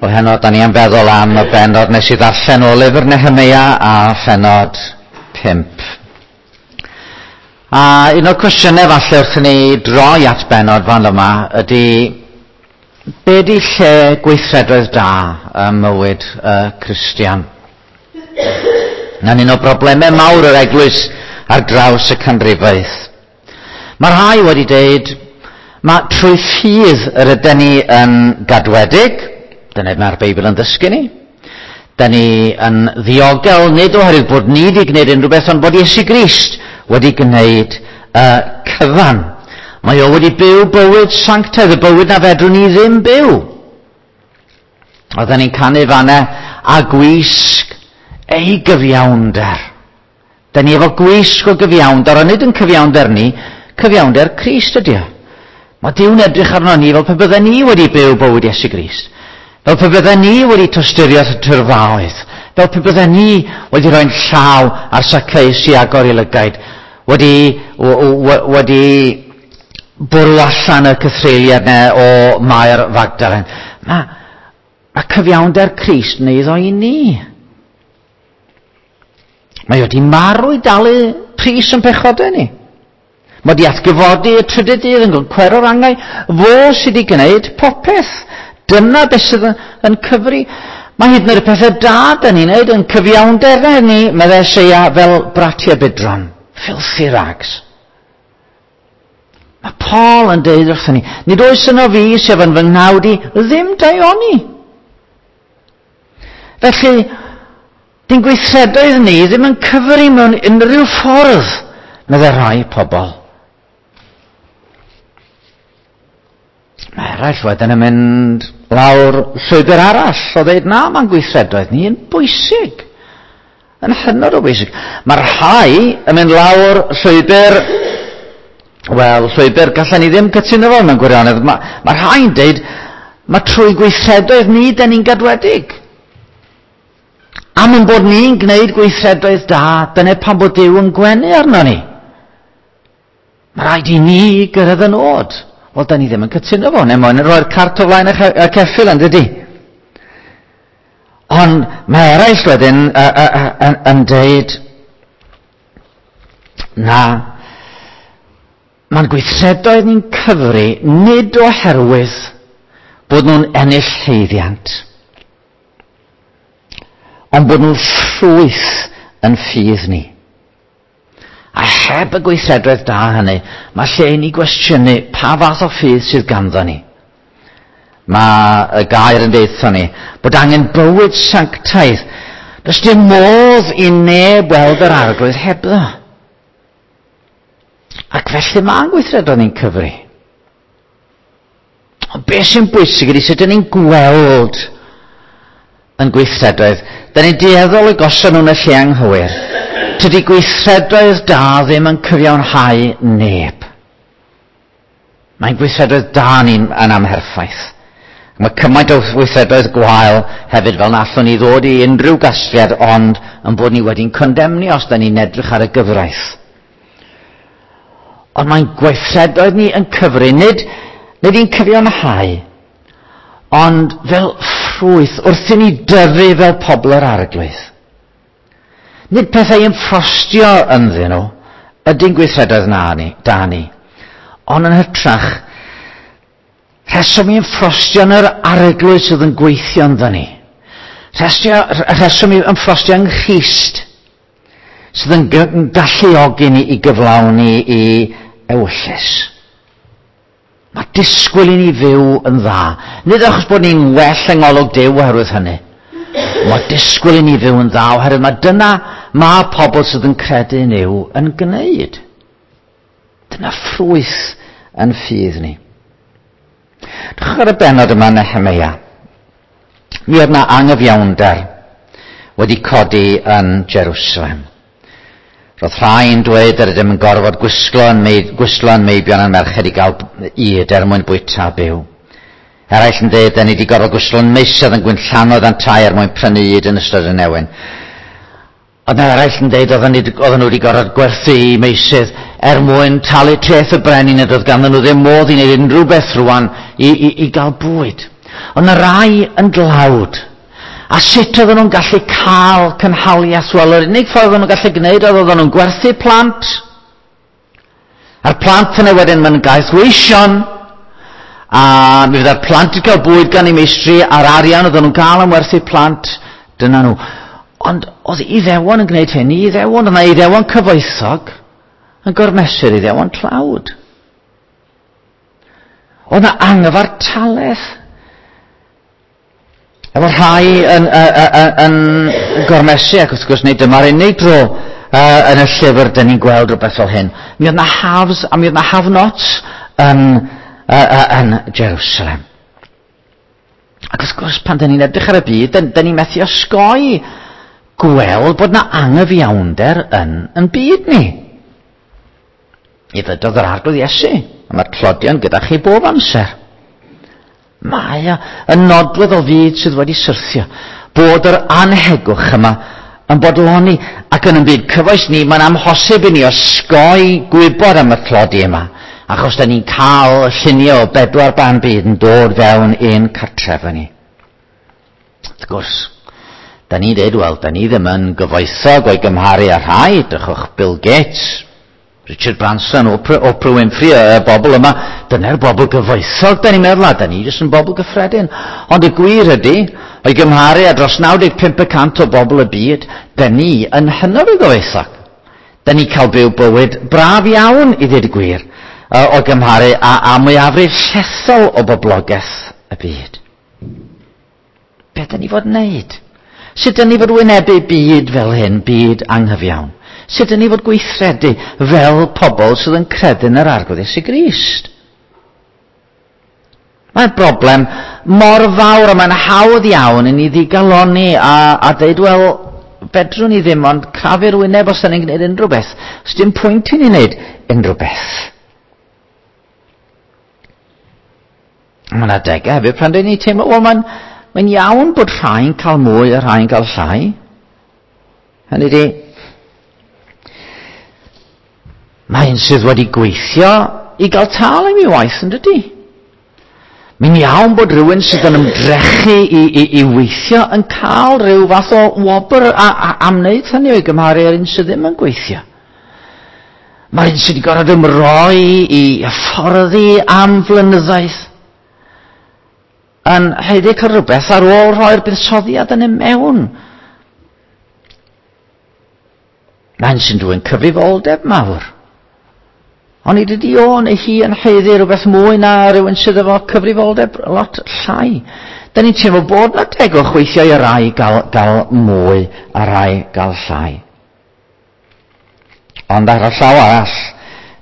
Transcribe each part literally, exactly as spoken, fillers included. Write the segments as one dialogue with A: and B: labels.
A: O heno, da ni am feddwl am y bennod nes i ddarllen o lyfr Nehemeia a phennod pump. A un o'r cwestiynau falle wrth i ni droi at bennod fan yma ydy, be di lle gweithredoedd da ym mywyd y Cristion? Na'n un o broblemau mawr yr eglwys ar draws y canrifoedd. Mae rhai wedi deud, mae trwy ffydd yr ydyn ni yn gadwedig, dyna mae'r Beibl yn ddysgu ni. Da ni yn ddiogel, nid oherwydd bod ni wedi gwneud unrhyw beth, ond bod Iesu Grist wedi gwneud y cyfan. Mae o wedi byw bywyd sanctaidd, y bywyd na fedrwn ni ddim byw. Oedden ni'n canu fanna a gwisg ei gyfiawnder. Da ni efo gwisg o gyfiawnder, ond nid yn cyfiawnder ni, cyfiawnder Crist ydy o. Mae Duw'n edrych arno ni fel pe bydden ni wedi byw bywyd Iesu Grist. Fel pe bydden ni wedi tosturio at y tyrfaoedd. Fel pe bydden ni wedi rhoi'n llaw ar Zacchaeus i agor ei lygaid. Wedi, wedi bwrw allan y cythreuliad ne o Mair Fagdalen. Mae, mae cyfiawnder Crist yn eiddo i ni. Mae wedi marw i dalu pris yn pechodau ni. Mae wedi atgyfodi y trydydd dydd yn cwero'r angau. Fo sydd wedi gwneud popeth. Dyna beth sydd yn cyfri. Mae hyd yn oed y pethau da da ni'n neud yn cyfiawnder ni, meddai Eseia, fel bratia bidron. Filthy rags. Mae Paul yn deud wrthyn ni, nid oes yno fi sef yn fy nghnawd i ddim daioni. Felly, di'n gweithredoedd ni ddim yn cyfri mewn unrhyw ffordd, meddai rhai pobl. Mae eraill wedyn yn mynd lawr llwybr arall o ddeud na, mae'n gweithredoedd ni yn bwysig. Yn hynod o bwysig. Mae rhai yn mynd lawr llwybr, wel, llwybr gallan ni ddim cytuno fo mewn gwirionedd. Mae, mae rhai'n deud, mae trwy gweithredoedd ni, da ni'n gadwedig. Am ein bod ni'n gwneud gweithredoedd da, dyna pam bod Duw yn gwenu arno ni. Mae rhaid i ni gyrraedd y nod. Wel, da ni ddim yn cytuno fo, neu moyn yn rhoi'r cart o flaen y ceffyl, yn dydi? Ond mae eraill wedyn yn, yn deud, na, mae'n gweithredoedd ni'n cyfri nid oherwydd bod nhw'n ennill llwyddiant, ond bod nhw'n ffrwyth yn ffydd ni. A heb y gweithredoedd da hynny, mae lle i ni gwestiynu pa fath o ffydd sydd ganddo ni. Mae y gair yn deutha ni bod angen bywyd sanctaidd. Does dim modd i neb weld yr Arglwydd hebddo. Ac felly mae'n gweithredoedd ni'n cyfri. Ond beth sy'n bwysig ydy sut ydyn ni'n gweld yn gweithredoedd. Da ni'n dueddol i gosod nhw'n y lle anghywir. Tydi gweithredoedd da ddim yn cyfiawnhau neb. Mae'n gweithredoedd da ni'n yn amherffaith. Mae cymaint o weithredoedd gwael hefyd fel na allwn ni ddod i unrhyw gasgliad ond yn bod ni wedi'n condemnio os da ni'n edrych ar y gyfraith. Ond mae'n gweithredoedd ni yn cyfri, nid, nid i'n cyfiawnhau, ond fel ffrwyth wrth i ni dyfu fel pobl yr Arglwydd. Nid pethau ymffrostio ynddyn nhw ydy'n gweithredoedd na ni, da ni. Ond yn hytrach, rheswm i ymffrostio yn yr Arglwydd sydd yn gweithio ynddo ni. Rheswm i ymffrostio yng Nghrist sydd yn galluogi ni i gyflawni i ewyllys. Mae disgwyl i ni fyw yn dda. Nid achos bod ni'n well yng ngolwg Duw oherwydd hynny. Mae disgwyl i ni fyw yn dda oherwydd mae dyna mae pobl sydd yn credu yn Nuw yn gwneud. Dyna ffrwyth yn ffydd ni. Dwch ar y bennod yma Nehemeia. Mi oedd na angyfiawnder wedi codi yn Jerusalem. Roedd rhai'n dweud yr ydym yn gorfod gwisgo yn, gwisgo yn meibion a'n merched i gael ŷd er mwyn bwyta byw. Eraill yn dweud, da ni wedi gorfod gwisgo yn meisydd yn gwynllanodd a'n tai er mwyn prynu ŷd yn ystod y newyn. Ond eraill yn dweud oedden nhw wedi gorfod gwerthu i meysydd er mwyn talu treth y brenin, nad oedd ganddyn nhw ddim modd i wneud unrhyw beth rwan i, i, i gael bwyd. Ond y rai yn dlawd. A sut oedden nhw'n gallu cael cynhaliaeth? Wel, yr unig ffordd oedden nhw'n gallu gwneud oedd oedden nhw'n gwerthu plant. A'r plant yna wedyn mae'n gaethweision. A mi fydda'r plant yn cael bwyd gan eu meistri, a'r arian oedden nhw'n cael am werthu plant, dyna nhw. Ond oedd Iddewon yn gwneud hyn i Iddewon, oedd yna Iddewon cyfoethog yn gormesu'r Iddewon tlawd. Oedd yna anghyfartaledd. Efo rhai yn, yn, yn, yn gormesu, ac wrth gwrs nid dyma'r unig dro uh, yn y llyfr dyn ni'n gweld rhywbeth fel hyn. Mi oedd yna haves a mi oedd yna have-nots yn, uh, uh, yn Jerusalem. Ac wrth gwrs, pan dyn ni'n edrych ar y byd, dyn, dyn ni'n methu osgoi gweld bod yna anghyfiawnder yn, yn byd ni. I ddydodd yr Arglwydd Iesu, a mae'r tlodion gyda chi bob amser. Mae o yn nodwedd o fyd sydd wedi syrthio. Bod yr anhegwch yma yn bodloni, ac yn y byd cyfoes ni, mae'n amhosib i ni osgoi gwybod am y tlodi yma, achos da ni'n cael lluniau o bedwar ban byd yn dod fewn ein cartref ni. Wrth gwrs, da ni'n dweud, wel, da ni ddim yn gyfoethog o'i gymharu â rhai, drychwch Bill Gates, Richard Branson, Oprah, Oprah Winfrey, y bobl yma, dyna'r bobl gyfoethog, da ni'n meddwl, a da ni jyst yn bobl gyffredin. Ond y gwir ydy, o'i gymharu â dros naw deg pump y cant o bobl y byd, da ni yn hynod o gyfoethog. Da ni cael byw bywyd braf iawn, i ddweud y gwir, o gymharu â, â mwyafrif llethol o boblogaeth y byd. Be da ni fod wneud? Sut da ni fod wynebu byd fel hyn, byd anghyfiawn? Sut ydyn ni fod gweithredu fel pobl sydd yn credu yn yr Arglwydd Iesu Grist? Mae'n broblem mor fawr a mae'n hawdd iawn i ni ddigalonni a, a dweud, wel, fedrwn ni ddim ond crafu'r wyneb os da ni'n gwneud unrhyw beth. Os dim pwynt i ni wneud unrhyw beth. Mae'n adegau hefyd pan dyn ni'n teimlo, wel, mae'n mae'n iawn bod rhai'n cael mwy a rhai'n cael llai. Hynny ydi, mae un sydd wedi gweithio i gael tâl am ei waith, yn dydi? Mae'n iawn bod rhywun sydd yn ymdrechu i, i, i weithio yn cael rhyw fath o wobr a, a, am wneud hynny o'i gymharu â'r un sydd ddim yn gweithio. Mae'r un sydd wedi gorfod ymroi i hyfforddi am flynyddoedd yn haeddu cael rhywbeth ar ôl rhoi'r buddsoddiad yn ei mewn. Mae'n sy'n dwyn cyfrifoldeb mawr. Ond i dydy o neu hi yn haeddu rhywbeth mwy na rhywun sydd efo cyfrifoldeb lot llai. Da ni'n teimlo bod na tegwch weithiau i rai gael, gael mwy a rai gael llai. Ond ar y llaw arall,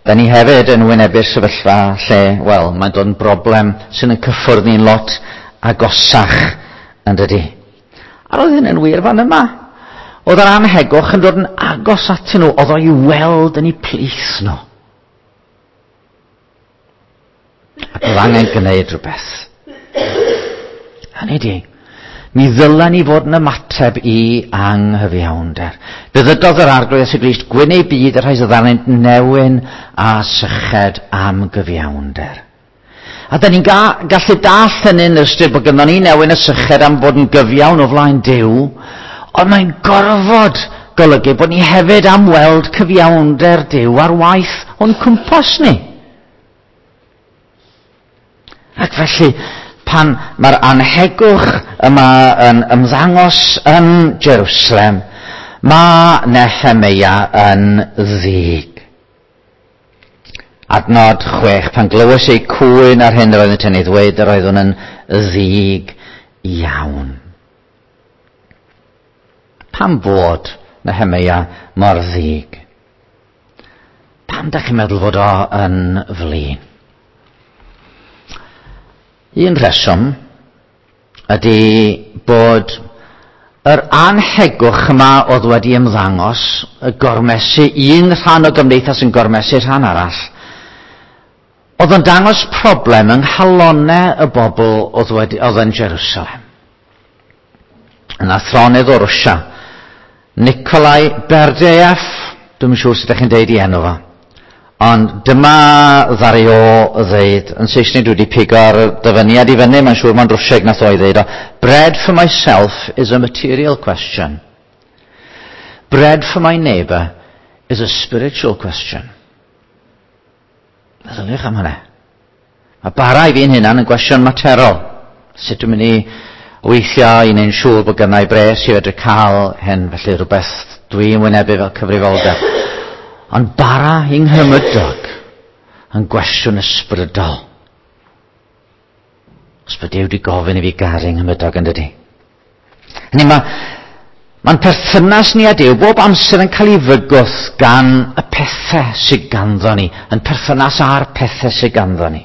A: da ni hefyd yn wynebu'r sefyllfa lle, wel, mae'n dod yn broblem sy'n yn cyffwrdd ni'n lot agosach, yn dydy. A roedd hyn yn wir fan yma. Oedd yr anhegwch yn dod yn agos atyn nhw, oedd o'i weld yn eu plith nhw. Ac oedd angen gwneud rhywbeth. Hynny di, mi ddylen ni fod yn ymateb i anghyfiawnder. Fe ddydodd yr Arglwydd Iesu Grist, gwyn ei byd y rhai sydd arnynt newyn a syched am gyfiawnder. A da ni'n ga- gallu dall hynny yn ystyr bod gynnon ni newyn a syched am fod yn gyfiawn o flaen Duw, ond mae'n gorfod golygu bod ni hefyd am weld cyfiawnder Duw ar waith o'n cwmpas ni. Ac felly, pan mae'r anhegwch yma yn ymddangos yn Jerusalem, mae Nehemeia yn ddig. Adnod chwech, pan glywais eu cwyn ar hyn yr oeddent yn ei ddweud, yr oeddwn yn ddig iawn. Pam fod Nehemeia mor ddig? Pam dach chi'n meddwl fod o yn flin? Un rheswm ydy bod yr anhegwch yma oedd wedi ymddangos, y gormesu, un rhan o gymdeithas yn gormesu rhan arall, oedd yn dangos problem yng nghalonnau y bobl oedd, wedi, oedd yn Jerusalem. Yn athronydd o Rwsia, Nikolai Berdyaev, dwi'm yn siŵr sut ydych chi'n deud i enw fo, Ond dyma ddaru o ddeud, yn Saesneg dwi wedi pigo'r dyfyniad i fyny, mae'n siŵr mae'n Rwsieg nath o i ddeud o, "Bread for myself is a material question. Bread for my neighbour is a spiritual question." Meddyliwch am hynny. Mae bara i fi'n hunan yn gwestiwn materol. Sut dwi'n mynd i weithio i wneud siŵr bod gynna i bres i fedru cael hyn, felly rhywbeth dwi'n wynebu fel cyfrifoldeb. Ond bara i nghymydog yn gwestiwn ysbrydol. Os bod Duw wedi gofyn i fi garu nghymydog, yn dydi. Hynny mae, mae'n perthynas ni a Duw bob amser yn cael ei fygwth gan y pethau sydd ganddo ni, yn perthynas â'r pethau sydd ganddo ni.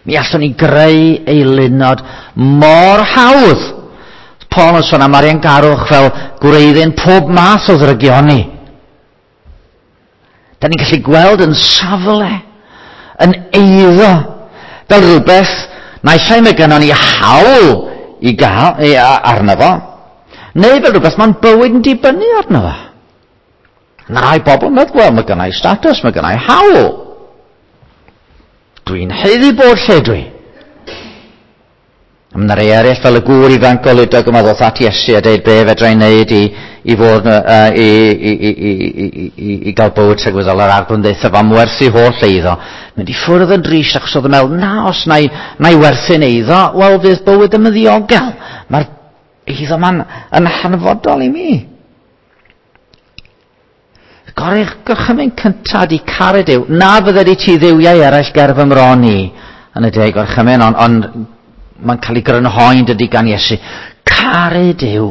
A: Mi allwn ni greu eilunod mor hawdd. Paul yn sôn am ariangarwch fel gwreiddyn pob math o ddrygioni. Da ni'n gallu gweld yn safle, yn eiddo, fel rhywbeth naill ai mae gynnon ni hawl i gael i, arno fo, neu fel rhywbeth mae'n bywyd yn dibynnu arno fo. Na rai bobl yn meddwl, wel, mae gynna i status, mae gynna i hawl. Dwi'n haeddu bod lle dwi. A mae rhai eraill fel y gŵr ifanc goludog yma ddoth at Iesu a dweud be fedra i wneud i, i fod uh, i, i, i, i, i, i, i gael bywyd tragwyddol. Yr Arglwydd ddeutha fo am werthu holl eiddo. Mynd i ffwrdd yn drist achos oedd yn meddwl, na, os na i, na i werthu'n eiddo, wel fydd bywyd yn ddiogel. Mae'r eiddo ma'n yn hanfodol i mi. Gorau gorchymyn cyntaf di caru Duw. Na fydde di ti dduwiau eraill ger fy mron i yn y deg gorchymyn, ond on, mae'n cael ei grynhoi'n dydi gan Iesu. Caru Duw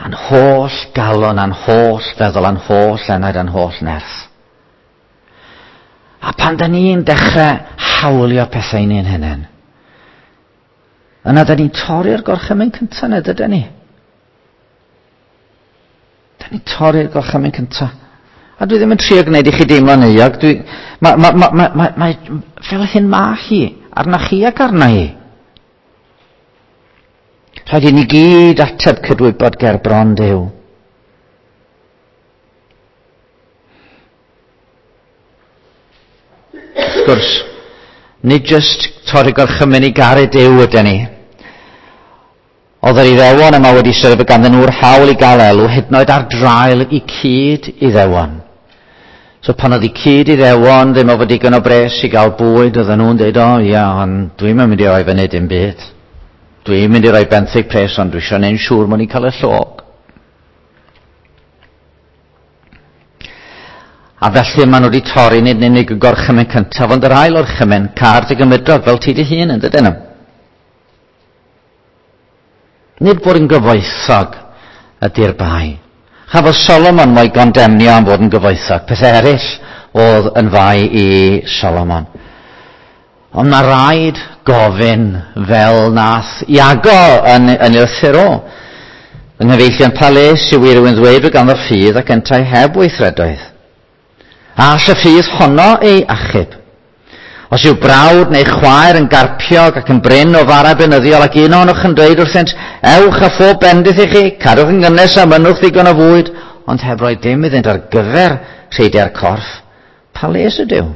A: a'n holl galon, a'n holl feddwl, a'n holl enaid, a'n holl nerth. A pan da ni'n dechrau hawlio pethau ni'n hunain, yna da ni'n torri'r gorchymyn cyntaf, neu dydyn ni? Da ni'n torri'r gorchymyn cyntaf. A dwi ddim yn trio gwneud i chi deimlo'n euog. Dwi, ma, ma, ma, ma, ma, ma, fel hyn ma hi, arna chi ac arna hi. Rhaid i ni gyd ateb cydwybod ger bron Duw. Wrth gwrs, nid jyst torri gorchymyn i garu Duw ydyn ni. Oedd yr Iddewon yma wedi sylwi ganddyn nhw'r hawl i gael elw, hyd yn oed ar draul i cyd Iddewon. So pan oedd i cyd Iddewon ddim efo digon o bres i gael bwyd, oedden nhw'n dweud, o ia, ond dwi'n mynd i roi fyny dim byd. Dwi'n mynd i roi benthyg pres, ond dwi eisiau neud siŵr mod i'n cael y llog. A felly maen nhw wedi torri nid yn unig y gorchymyn cyntaf, ond yr ail orchymyn, car dy gymydog fel ti dy hun, yn dydyn nhw. Nid bod yn gyfoethog ydy'r bai. Chafodd Solomon mo'i gondemnio am fod yn gyfoethog. Pethau eraill oedd yn fai i Solomon. Ond mae rhaid gofyn fel nath Iago yn, yn ei lythyr o. Yng nghyfeillion, pa les yw i rywun ddweud bod ganddo ffydd ac yntau heb weithredoedd? A all y ffydd honno ei achub? Os yw brawd neu chwaer yn garpiog ac yn brin o fara beunyddiol ac un ohonoch yn dweud wrthynt, ewch a phob bendith i chi, cadwch yn gynnes a mynnwch ddigon o fwyd, ond heb roi dim iddynt ar gyfer rheidiau'r corff, pa les ydyw?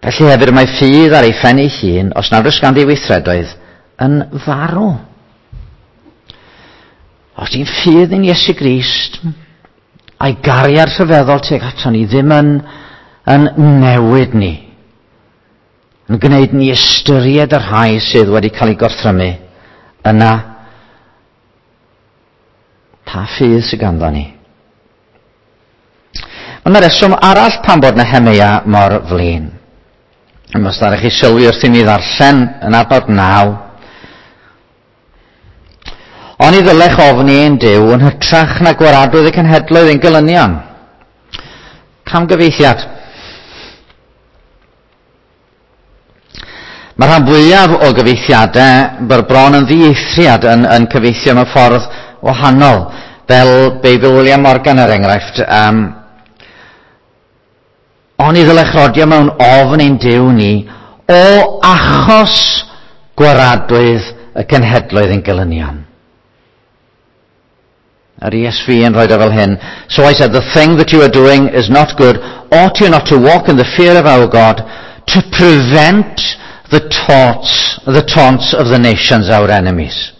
A: Felly hefyd mae ffydd ar ei phen ei hun, os nad oes ganddi weithredoedd, yn farw. Os di'n ffydd yn Iesu Grist, a'i gariad rhyfeddol tuag ato ni ddim yn, yn newid ni, yn gwneud ni ystyried y rhai sydd wedi cael eu gorthrymu, yna pa ffydd sydd ganddo ni? Mae yna reswm arall pam bod Nehemeia mor flin. Os ddaru chi sylwi wrth i mi ddarllen yn adnod naw. Oni ddylech ofni ein Duw yn hytrach na gwaradwydd y cenhedloedd ein gelynion. Camgyfieithiad. Mae rhan fwyaf o gyfieithiadau bron yn ddieithriad yn, yn cyfieithio mewn ffordd wahanol, fel Beibl William Morgan er enghraifft. Um, Oni ddylech rodio mewn ofn ein Duw ni o achos gwaradwydd y cenhedloedd ein gelynion. Yr E S V yn rhoi o fel hyn. So I said, the thing that you are doing is not good. Ought you not to walk in the fear of our God to prevent the taunts, the taunts of the nations, our enemies?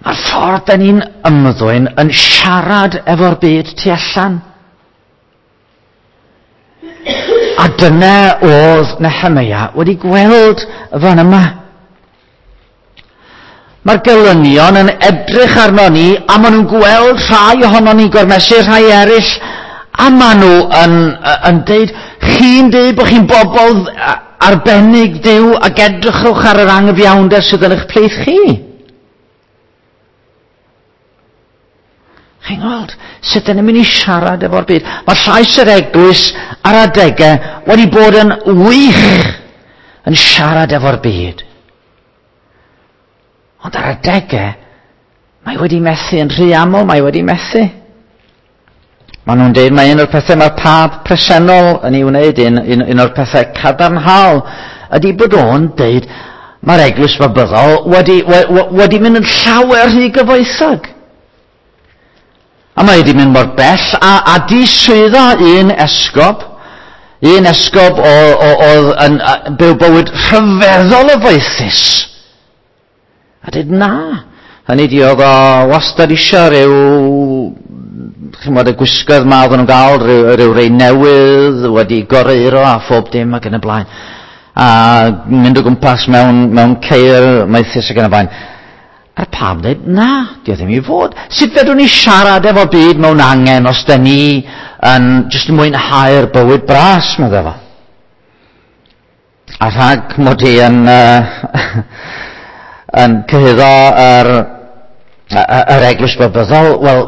A: Mae'r ffordd da ni'n ymddwyn yn siarad efo'r byd tu allan. A dyna oedd Nehemia wedi gweld fan yma. Mae'r gelynion yn edrych arno ni, a maen nhw'n gweld rhai ohono ni'n gormesu rhai eraill, a maen nhw yn, yn deud, chi'n deud bod chi'n bobl arbennig Duw, ac edrychwch ar yr anghyfiawnder sydd yn eich plith chi. Chi'n gweld sut dyn ni'n mynd i siarad efo'r byd. Mae llais yr eglwys ar adegau wedi bod yn wych yn siarad efo'r byd. Ond ar adegau, mae wedi methu yn rhy aml, mae wedi methu. Maen nhw'n deud mae un o'r pethau mae'r pab presennol yn ei wneud, un, un, un o'r pethau cadarnhaol, ydy bod o'n deud mae'r eglwys babyddol wedi, we, wedi mynd yn llawer rhy gyfoethog. A mae wedi mynd mor bell a, a diswyddo un esgob, un esgob oedd yn byw bywyd rhyfeddol o foethus. A dweud na, hynny di oedd o wastad eisiau rhyw, chymod, y gwisgoedd ma oedden nhw'n gael, rhyw, rhyw rei newydd, wedi goreuro a phob dim ac yn y blaen. A mynd o gwmpas mewn, mewn ceir maethus ac yn y blaen. A'r pab dweud, na, di o ddim i fod. Sut fedrwn ni siarad efo byd mewn angen os da ni yn jyst mwynhau'r bywyd bras, meddai fo. A rhag mod i yn, uh, yn cyhuddo yr, yr eglwys babyddol, wel,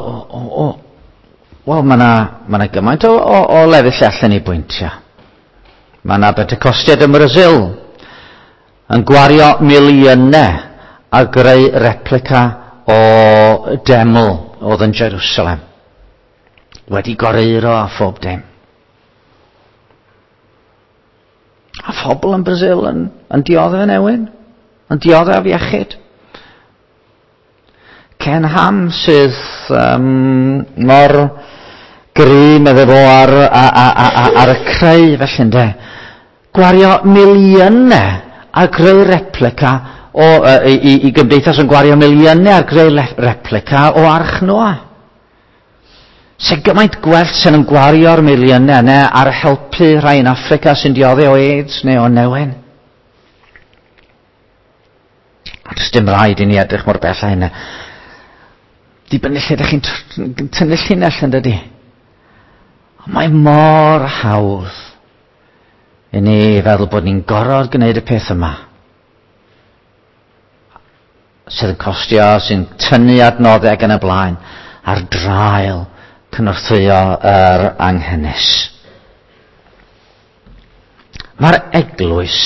A: wel, mae yna ma na gymaint o, o, o lefydd lle allan ni bwyntio. Mae yna Pentecostiaid ym Mrasil yn gwario miliynau a greu replica o deml oedd yn Jerusalem. Wedi goreuro a phob dim. A phobl yn Brasil yn, yn dioddef yn ewyn, yn dioddef iechyd. Ken Ham sydd um, mor gry medde fo ar, ar, ar, ar y creu felly ynde. Gwario miliynau a greu replica o, uh, i, i gymdeithas yn gwario miliynau ar greu replica o Arch Noa. Sy'n gymaint gwell sy'n yn gwario'r miliynau yna ar helpu rhai yn Affrica sy'n dioddef o AIDS neu o newyn. A does dim rhaid i ni edrych mor bell â hynna. Dibynnu lle ydych chi'n tynnu llinell yn dydi. Ond mae mor hawdd i ni feddwl bod ni'n gorfod gwneud y peth yma. Sydd yn costio, sy'n tynnu adnoddau ac yn y blaen, ar draul cynorthwyo yr anghenus. Mae'r eglwys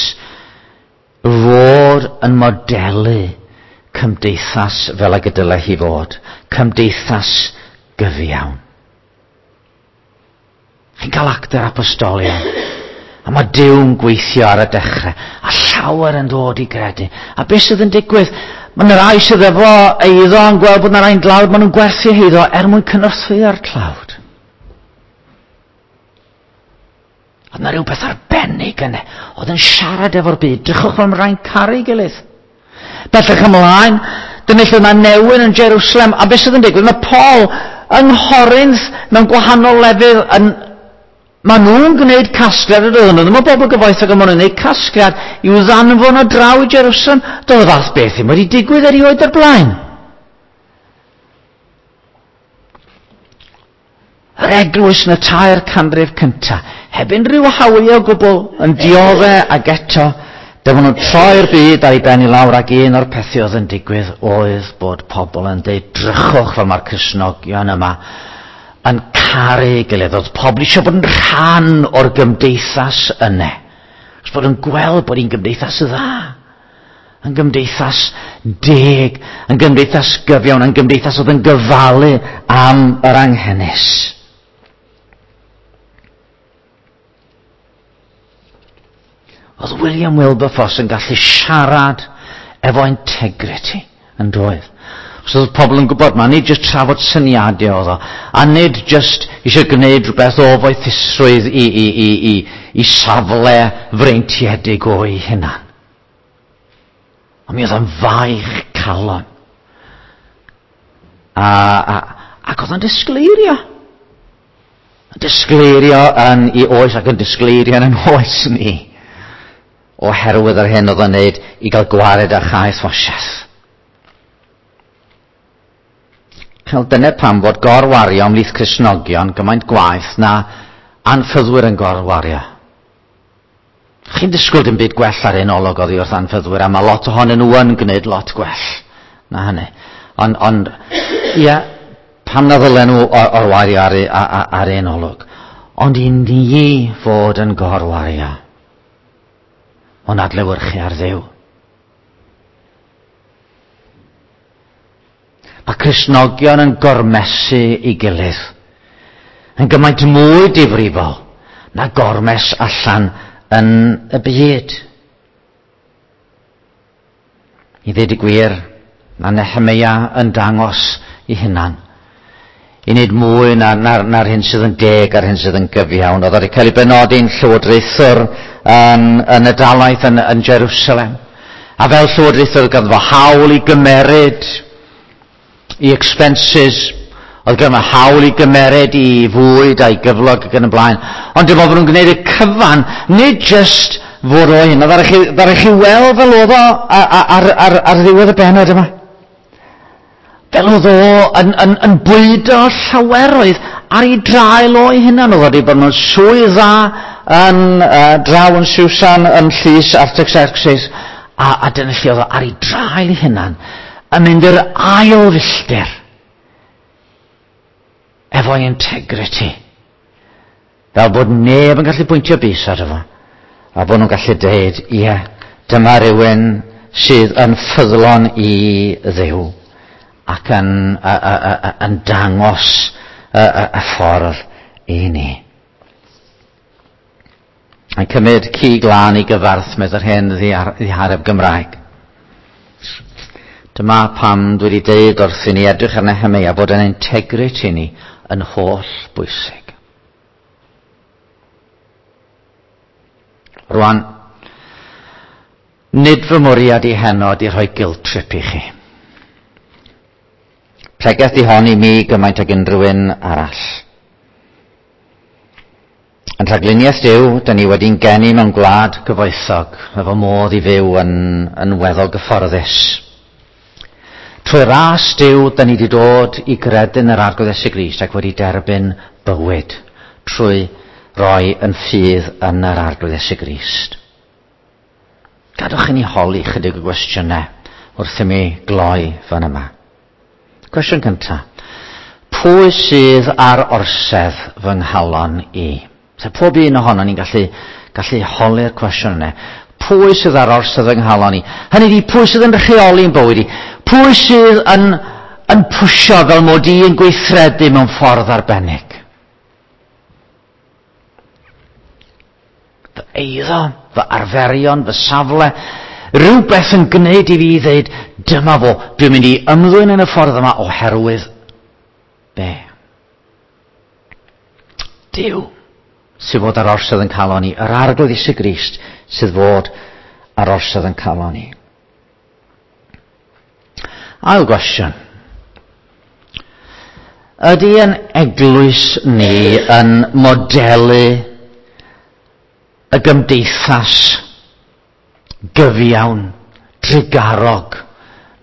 A: fod yn modelu cymdeithas fel ag y dylai hi fod. Cymdeithas gyfiawn. Chi'n cael Actau'r Apostolion. A mae Duw'n gweithio ar y dechrau. A llawer yn dod i gredu. A beth sydd yn digwydd? Mae yna rai sydd efo eiddo yn gweld bod yna rai'n dlawd. Maen nhw'n gwerthu eiddo er mwyn cynorthwyo'r tlawd. Oedd yna rhywbeth arbennig yna. Oedd yn siarad efo'r byd. Drychwch fel mae rhai'n caru gilydd. Bellach ymlaen, dyna lle mae newyn yn Jerusalem. A beth sydd yn digwydd? Mae Paul yng Nghorinth mewn gwahanol lefydd yn... Maen nhw'n gwneud casgliad, oedden nhw ddim o bobl gyfoethog, ond maen nhw'n gwneud casgliad i'w ddanfon o draw i Jerusalem. Doedd y fath beth ddim wedi digwydd erioed o'r blaen. Yr eglwys yn y tair canrif cyntaf, heb unrhyw hawliau o gwbl, yn diodde ac eto, dyma nhw'n troi'r byd ar ei ben i lawr, ac un o'r pethau oedd yn digwydd oedd bod pobl yn deud, drychwch fel mae'r Cristnogion yma yn caru gilydd. Oedd pobl eisiau bod yn rhan o'r gymdeithas yna. Os bod yn gweld bod hi'n gymdeithas dda, yn gymdeithas deg, yn gymdeithas gyfiawn, yn gymdeithas oedd yn gyfalu am yr anghenus. Oedd William Wilberforce yn gallu siarad efo integrity yn doedd. Os oedd pobl yn gwybod ma, nid just trafod syniadau oedd o, a nid just eisiau gwneud rhywbeth o foethusrwydd i, i, i, i, i safle freintiedig o'i hunan. Ond mi oedd o'n faich calon. A, a, ac oedd o'n disgleirio. Yn disgleirio yn ei oes ac yn disgleirio yn ein oes ni. Oherwydd yr hyn oedd o'n neud i gael gwared â chaethwasiaeth. Wel, dyna pam fod gorwario ymhlith Cristnogion gymaint gwaeth na anffyddwyr yn gorwario. Chi'n disgwyl dim byd gwell ar un olwg oddi wrth anffyddwyr, a mae lot ohonyn nhw yn gwneud lot gwell na hynny. Ond, ond ia, pam na ddylen nhw orwario ar, ar, ar un olwg? Ond i ni fod yn gorwario, ond adlewyrchu ar Dduw. Mae Cristnogion yn gormesu i gilydd, yn gymaint mwy difrifol na gormes allan yn y byd. I ddweud y gwir, mae Nehemia yn dangos i hunan i wneud mwy na'r na, na hyn sydd yn deg a'r hyn sydd yn gyfiawn. Oedd wedi cael ei benodi'n llywodraethwr yn, yn y dalaith yn, yn Jerusalem. A fel llywodraethwr ganddo fo hawl i gymeryd i expenses, oedd ganddo fo hawl i gymeryd i fwyd a'i gyflog ac yn y blaen. Ond dim ond bod nhw'n gwneud y cyfan, nid just fod o hyn. Ddaru chi, ddaru chi weld fel oedd o ar, ar, ar, ar ddiwedd y bennod yma. Fel oedd o yn, yn, yn bwydo llaweroedd ar ei draul o'i hunan. Oedd wedi bod mewn swydd dda yn uh, draw yn Susan yn llys Artaxerxes, a, a dyna lle oedd o ar ei draul ei hunan yn mynd i'r ail filltir efo'i integrity. Fel bod neb yn gallu pwyntio bys ar efo, a bod nhw'n gallu dweud, ie, dyma rhywun sydd yn ffyddlon i Dduw ac yn, a, a, a, yn dangos y, y, y ffordd i ni. Yn cymryd cig lân i gyfarth, medd yr hen ddihareb Gymraeg. Dyma pam dwi wedi deud wrth i ni edrych ar Nehemia bod yn integrity ni yn holl bwysig. Rwan, nid fy mwriad i heno ydi rhoi guilt trip i chi. Pregeth di hon i mi gymaint ag unrhyw un arall. Yn rhagluniaeth Duw, dyn ni wedi'n geni mewn gwlad gyfoethog, efo modd i fyw yn, yn weddol gyfforddus. Trwy ras Duw, dyn ni wedi dod i gredu'n yr Arglwydd Iesu Grist ac wedi derbyn bywyd trwy roi yn ffydd yn yr Arglwydd Iesu Grist. Gadwch i ni holi chydig o gwestiynau wrth i mi gloi fan yma. Cwestiwn cyntaf. Pwy sydd ar orsedd fy nghalon i? So, pob un ohono ni'n gallu, gallu holi'r cwestiwn yna. Pwy sydd ar orsedd fy nghalon i? Hynny ydi, pwy sydd yn rheoli'n bywyd i? Pwy sydd yn, yn pwysio fel mod i yn gweithredu mewn ffordd arbennig? Fy eiddo, fy arferion, fy safle, rhywbeth yn gwneud i fi ddweud, dyma fo, dwi'n mynd i ymddwyn yn y ffordd yma oherwydd be? Duw sydd fod ar orsedd yn calon ni, yr Arglwydd Iesu Grist sydd fod ar orsedd yn calon ni. Ail gwestiwn. Ydy yn eglwys ni yn modelu y gymdeithas gyfiawn, trugarog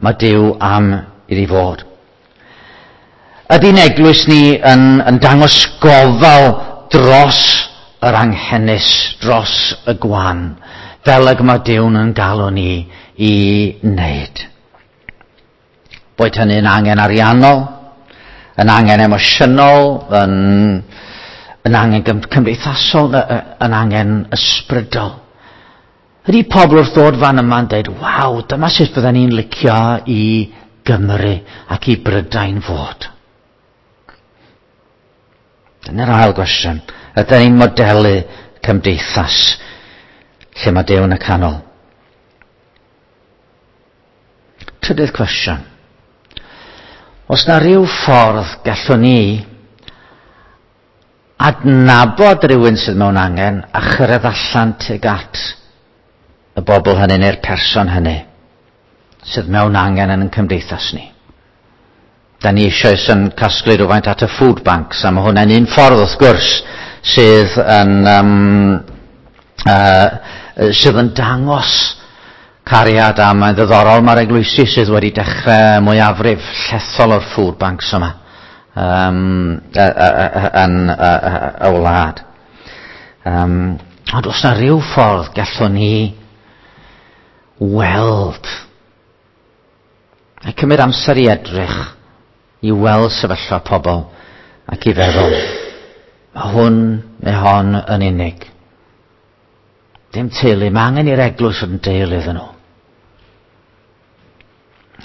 A: mae Duw am iddi fod? Ydy'n eglwys ni yn, yn dangos gofal dros yr anghenus, dros y gwan, fel ag mae Duw'n yn galw ni i wneud? Boed hynny'n angen ariannol, yn angen emosiynol, yn, yn angen cymdeithasol, yn angen ysbrydol. Ydy pobl wrth ddod fan yma'n dweud, waw, dyma sut bydden ni'n licio i Gymru ac i Brydain fod. Dyna'r ail gwestiwn. Ydyn ni'n modelu cymdeithas lle mae Duw yn y canol? Trydydd cwestiwn. Os na rhyw ffordd gallwn ni adnabod rhywun sydd mewn angen a chyrraedd allan tuag at y bobl hynny neu'r person hynny sydd mewn angen yn ein cymdeithas ni. Da ni eisoes yn casglu rhywfaint at y food banks, a mae hwnna'n un ffordd wrth gwrs sydd yn, um, uh, sydd yn dangos cariad, a mae'n ddiddorol mae'r eglwysi sydd wedi dechrau mwyafrif llethol o'r food banks yma um, yn y wlad. Um, ond os na rhyw ffordd gallwn ni weld a cymryd amser i edrych i weld sefyllfa pobl ac i feddwl, mae hwn neu hon yn unig. Dim teulu, mae angen i'r eglwys fod yn deulu iddyn nhw.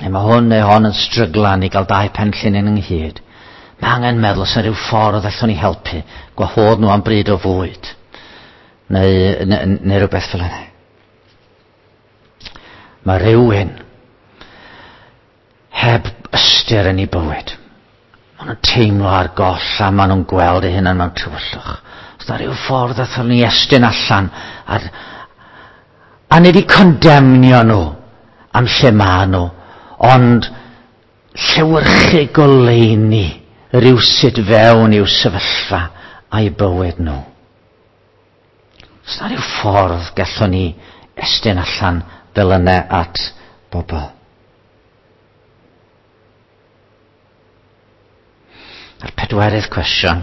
A: Neu mae hwn neu hon yn stryglan i gael dau penllinyn ynghyd. Mae angen meddwl os yna rhyw ffordd allwn ni helpu, gwahodd nhw am bryd o fwyd, neu, neu, neu rhywbeth fel yna. Mae rhywun heb ystyr yn ei bywyd. Maen nhw'n teimlo ar goll a maen nhw'n gweld eu hunain mewn tywyllwch. Os na rhyw ffordd allwn ni estyn allan a, a nid i condemnio nhw am lle maen nhw, ond llewyrchu goleuni rywsut fewn i'w sefyllfa a'i bywyd nhw. Os na rhyw ffordd gallwn ni estyn allan fel yna at bobl. A'r pedwerydd cwestiwn,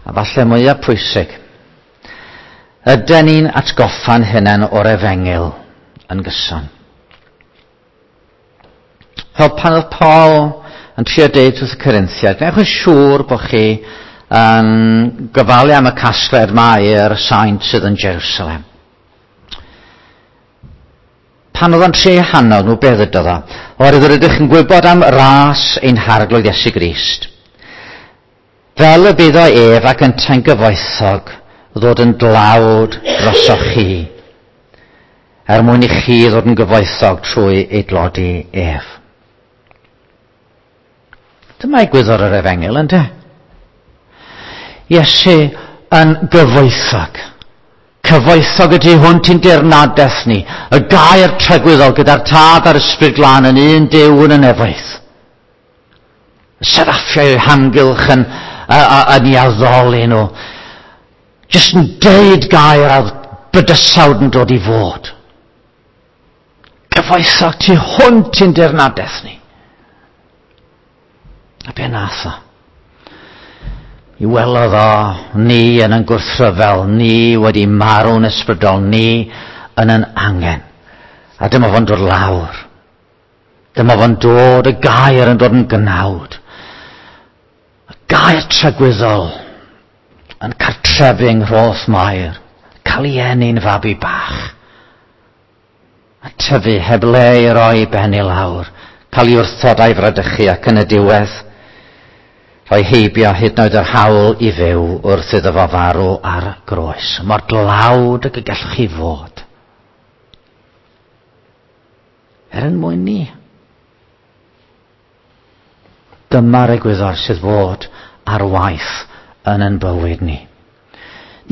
A: a falle mwyaf pwysig, ydyn ni'n atgoffa'n hunain o'r efengyl yn gyson? Fel pan oedd Paul yn trio deud wrth y Corinthiaid, gwnewch yn siŵr bod chi yn gofalu am y casgliad mae'r saint sydd yn Jerusalem. Pan oedd o'n trio hannog nhw, beth ydodd o? Oherwydd yr ydych yn gwybod am ras ein harglwydd Iesu Grist. Fel y bydd o ef ac yntau'n gyfoethog ddod yn dlawd drosoch chi, er mwyn i chi ddod yn gyfoethog trwy ei dlodi ef. Dyma egwyddor yr efengyl, ynde? Iesu yn gyfoethog. Cyfoethog ydy hwn ti'n dirnadaeth ni. Y gair tragwyddol gyda'r Tad a'r Ysbryd Glân yn un Duw yn y nefoedd. Y seraffiau o'u hamgylch yn, yn i addoli nhw. Jyst yn deud gair a bydysawd yn dod i fod. Cyfoethog tu hwnt i'n dirnadaeth ni. A be nath o? I welodd o ni yn yn gwrthryfel, ni wedi marw'n ysbrydol, ni yn yn angen. A dyma fo'n dod lawr. Dyma fo'n dod, y gair yn dod yn gnawd. Y gair tragwyddol yn cartrefu yng Nghroth Mair, cael ei eni'n fabi bach. A tyfu heb le i roi ben i lawr, cael ei wrthod a'i fradychu ac yn y diwedd, rhoi heibio hyd yn oed yr hawl i fyw wrth iddo fo farw ar groes. Mor dlawd ag y gallwch chi fod. Er yn mwyn ni. Dyma'r egwyddor sydd fod ar waith yn ein bywyd ni.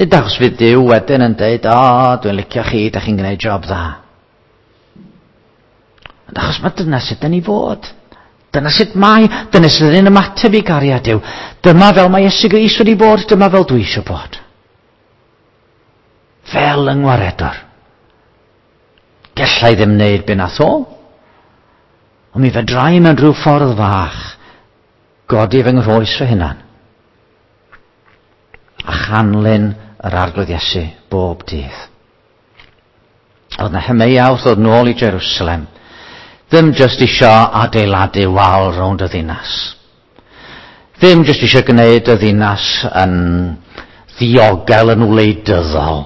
A: Nid achos fydd Duw wedyn yn deud, o, oh, dwi'n licio chi, da chi'n gwneud job dda. Ond achos mae dyna sut dyn ni fod. Dyna sut mae, dyna sut yn ymateb i gariad Duw. Dyma fel mae Iesu Grist wedi bod, dyma fel dwi eisiau bod. Fel yng Ngwaredwr. Gallai ddim wneud be nath o. Ond mi fedrai mewn rhyw ffordd fach godi fy nghroes fy hunan. A chanlyn yr Arglwydd Iesu bob dydd. Oedd Nehemeia wrth ddod nôl i Jerusalem ddim jyst isio adeiladu wal rownd y ddinas. Ddim jyst isio gwneud y ddinas yn ddiogel yn wleidyddol.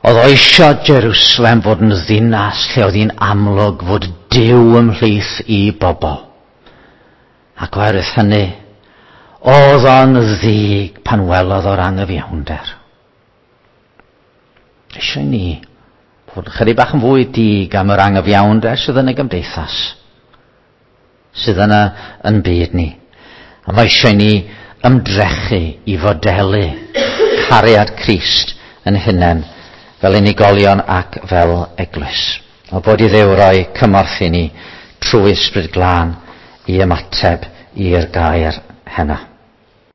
A: Oedd o isio Jerusalem fod yn ddinas lle oedd hi'n amlwg fod Duw ymhlith i bobl. Ac oherwydd hynny, oedd o'n ddig pan welodd o'r anghyfiawnder. Eisiau ni Fod chydig bach yn fwy dig am yr angyfiawnder sydd yn y gymdeithas, sydd yna yn byd ni. A mae eisiau ni ymdrechu i fodelu cariad Crist yn hunain fel unigolion ac fel eglwys. O bod i Dduw roi cymorth i ni trwy Ysbryd Glân i ymateb i'r gair heno.